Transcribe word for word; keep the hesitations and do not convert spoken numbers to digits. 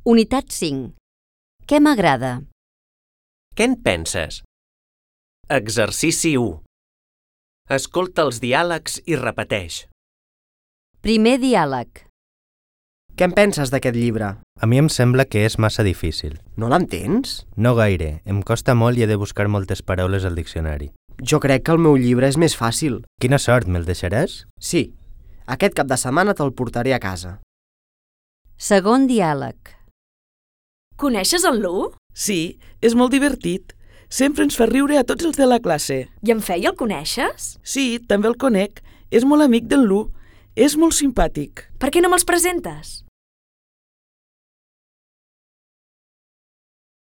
Unitat cinc. Què m'agrada? Què en penses? Exercici u. Escolta els diàlegs i repeteix. Primer diàleg. Què en penses d'aquest llibre? A mi em sembla que és massa difícil. No l'entens? No gaire, em costa molt i he de buscar moltes paraules al diccionari. Jo crec que el meu llibre és més fàcil. Quina sort, me'l deixaràs? Sí, aquest cap de setmana te'l portaré a casa. Segon diàleg. Coneixes en Lu? Sí, és molt divertit. Sempre ens fa riure a tots els de la classe. I en Fei el coneixes? Sí, també el conec. És molt amic d'en Lu. És molt simpàtic. Per què no me'ls presentes?